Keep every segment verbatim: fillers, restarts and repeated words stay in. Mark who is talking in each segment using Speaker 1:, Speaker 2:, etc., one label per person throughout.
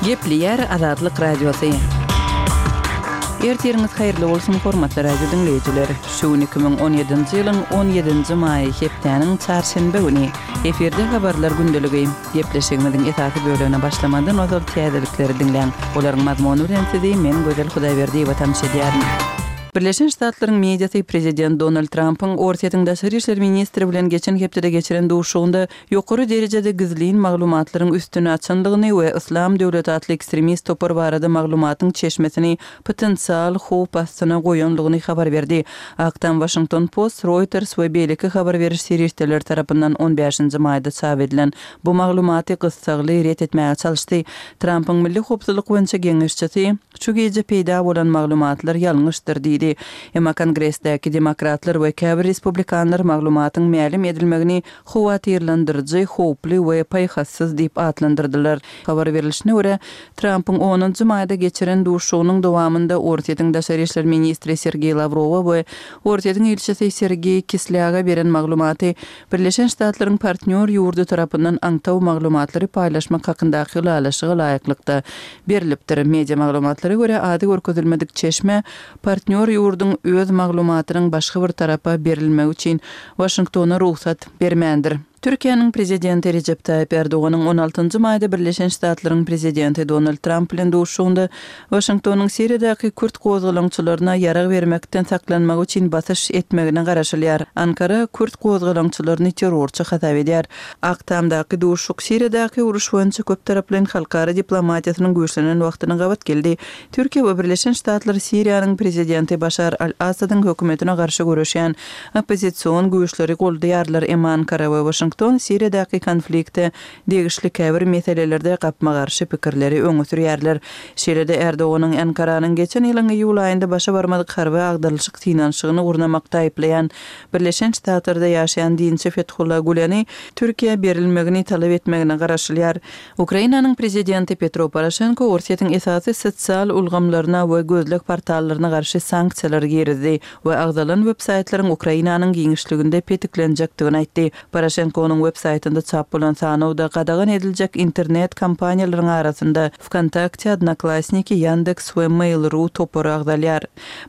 Speaker 1: Gepleýär Azatlyk Radiosy. Ertiriňiz haýyrly bolsun, hormatly radio diňleýjiler. Şu gün iki müň on ýedinji ýylyň on ýedinji maýy, hepdäniň çarşenbe güni. Efirde habarlar gündeligi. Gepleşigimiziň esasy bölegine başlamadan ozal täzelikleri diňläň. Olaryň mazmuny bilen sizi men Gözel Hudaýberdiýewa tanyş edýärin. Birleşen Ştatlaryň mediasy prezident Donald Trampyň Orsýetiň daşary işler ministri bilen geçen hepdede geçiren duşuşygynda ýokary derejede gizlin maglumatlaryň üstüni açandygyny we Yslam döwleti atly ekstremist topar barada maglumatyň çeşmesini potensial howp astyna goýandygyny habar berdi. Ak Tam Washington Post, Reuters we beýleki habar beriş serişdeleri tarapyndan on bäşinji maýda çap edilen bu maglumaty gyssagly ret etmäge çalyşdy. Trampyň milli howpsuzlyk boýunça geňeşçisi şu gije peýda bolan maglumatlar ýalňyşdyr diýdi. Emma Kongresdäki demokratlar we käbir respublikanlar maglumatyň mälim edilmegini howatyrlandyryjy, howply we paýhassyz diýip atlandyrdylar. Habar berilişine görä, Trampyň onunjy maýda geçiren duşuşygynyň dowamynda Orsýetiň daşary işler ministri Sergeý Lawrowa we Orsýetiň ilçisi Sergeý Kislýaga beren maglumaty Birleşen Ştatlaryň partnýor ýurdy tarapyndan aňtaw maglumatlary paýlaşmak hakyndaky ylalaşyga laýyklykda berilipdir. Media maglumatlara görä, ady görkezilmedik çeşme partnýor ýurduň öz maglumatynyň başga bir tarapa berilmegi üçin Waşingtona rugsat bermändir. Türkiýäniň prezidenti Recep Tayyip Erdoganyň on altynjy maýda Birleşen Ştatlaryň prezidenti Donald Trump bilen duşuşygynda Waşingtonyň Siriýadaky kürt gozgalaňçylaryna ýarag bermekden saklanmagy üçin basyş etmegine garaşylýar. Ankara kürt gozgalaňçylaryny terrorçy hasap edýär. Ak Tamdaky duşuşyk Siriýadaky uruş boýunça köp taraplaýyn halkara diplomatiýasynyň güýçlenen wagtyna gabat geldi. Türkiýe we Birleşen Ştatlar Siriýanyň prezidenti Başar al-Asadyň hökümetine garşy göreşýän oppozision güýçleri goldaýarlar, emma Ankara we Waşington Siriýadaky konflikte degişli käbir meselelerde gapma-garşy pikirleri öňe sürýärler. Şeýle-de Erdoganyň Ankaranyň geçen ýylyň iýul aýynda başa barmadyk harby agdarylyşyk synanyşygyny gurnamakda aýyplaýan Birleşen Ştatlarda ýaşaýan dinçi Fethullah Güleni Türkiýä berilmegini talap etmegine garaşylýar. Ukrainanyň prezidenti Petro Poroşenko Orsýetiň esasy sosial ulgamlaryna we gözleg portallaryna garşy sanksiýalar girizdi we agzalan web-saýtlaryň Ukrainanyň giňişliginde petiklenjekdigini aýtdy. Poroşenkonyň web-saýtynda çap bolan sanawda gadagan ediljek internet kompaniýalaryň arasynda Vkontakte, Odnoklassniki, Yandex we Mail.ru topary agzalýar.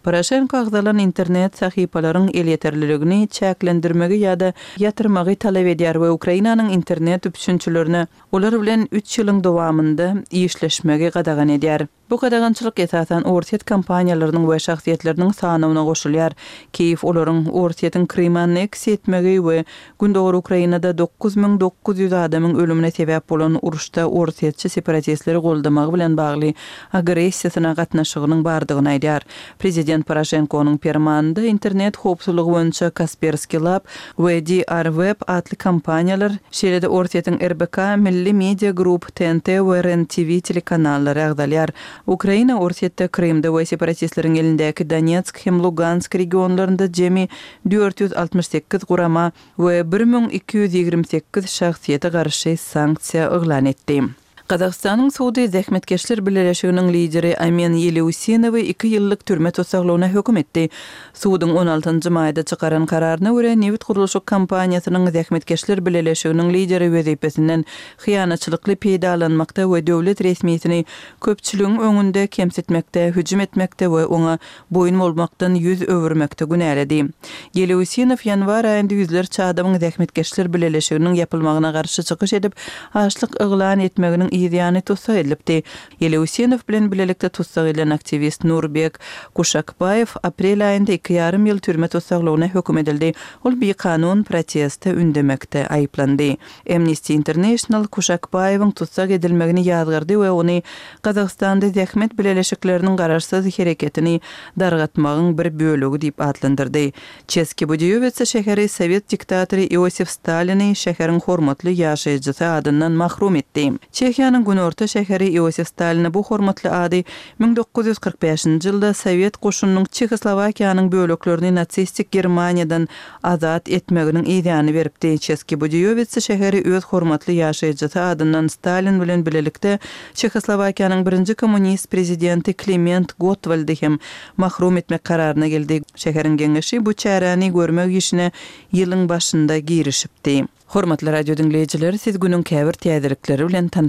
Speaker 1: Poroşenko agzalan internet sahypalaryň elýeterliligini çäklendirmegi ýa-da ýatyrmagy talap edýär we Ukrainanyň internet üpjünçilerine olar bilen üç ýylyň dowamynda işleşmegi gadagan edýär. Bu gadagançylyk esasan Orsýet kompaniýalarynyň we şahsyýetleriniň sanawyna goşulýar. Kiýew olaryň Orsýetiň Kryma anneksiýa etmegi we Gündogar Ukrainada dokuz müň dokuz ýüz adamyň ölümine sebäp bolan uruşda orsýetçi separatistleri goldamagy bilen bagly agressiýasyna gatnaşygynyň bardygyny aýdýar. Prezident Poroşenkonyň permanynda internet howpsuzlygy boýunça Kaspersky Lab we D R Web atly kompaniýalar, şeýle-de Orsýetiň R B K, Milli Media Group, T N T we R E N T V telekanallary agzalýar. Ukraina Orsýetde, Krymda we separatistleriň elindäki Donetsk hem Lugansk regionlarynda jemi dört ýüz altmyş sekiz gurama we bir müň iki ýüz ýigrimi sekiz şahsyýete garşy sanksiýa yglan etdi. Gazagystanyň sudy Zähmetkeşler Bileleşiginiň lideri Amin Ýeleusinowy iki ýyllyk türme tussaglygyna höküm etdi. Suduň on altynjy maýda çykaran kararyna görä, nebit gurluşyk kompaniýasynyň Zähmetkeşler Bileleşiginiň lideri wezipesinden hyýanatçylykly peýdalanmakda we döwlet resmisini köpçüligiň öňünde kemsitmekde, hüjüm etmekde we oňa boýun bolmakdan ýüz öwürmekde günäledi. Ýeleusinow ýanwar aýynda ýüzlerçe adamyň Zähmetkeşler Bileleşiginiň ýapylmagyna garşy çykyş edip, açlyk yglan etmeginiň ýany tussag edilipdi. Ýeleusinow bilen bilelikde tussag edilen aktiwist Nurbek Kuşakbaýew aprel aýynda iki ýarym ýyl türme tussaglygyna höküm edildi. Ol bikanun proteste ündemekde aýyplandy. Amnesty International Kuşakbaýewiň tussag edilmegini ýazgardy we ony Gazagystanda zähmet bileleşikleriniň garaşsyz hereketini dargatmagyň bir bölegi diýip atlandyrdy. Çeski Budiýowitsa şäheri Sowet diktatory Iosif Stalini şäheriň hormatly ýaşaýjysy adyndan mahrum etdi. Çehiýanyň günorta şäheri Iosif Stalini bu hormatly ady müň dokuz ýüz kyrk bäşinji ýylda Sowet goşunynyň Çehoslowakiýanyň böleklerini natsistik Germaniýadan azat etmeginiň ýany beripdi. Çeski Budiýowitsa şäheri öz hormatly ýaşaýjysy adyndan Stalin bilen bilelikde Çehoslowakiýanyň birinji kommunist prezidenti Kliment Gottwaldy hem mahrum etmek kararyna geldi. Şäheriň geňeşi bu çäräni görmek işine ýylyň başynda girişipdi. Hormatly radio diňleýjiler, siz günüň käbir täzelikleri bilen tanyş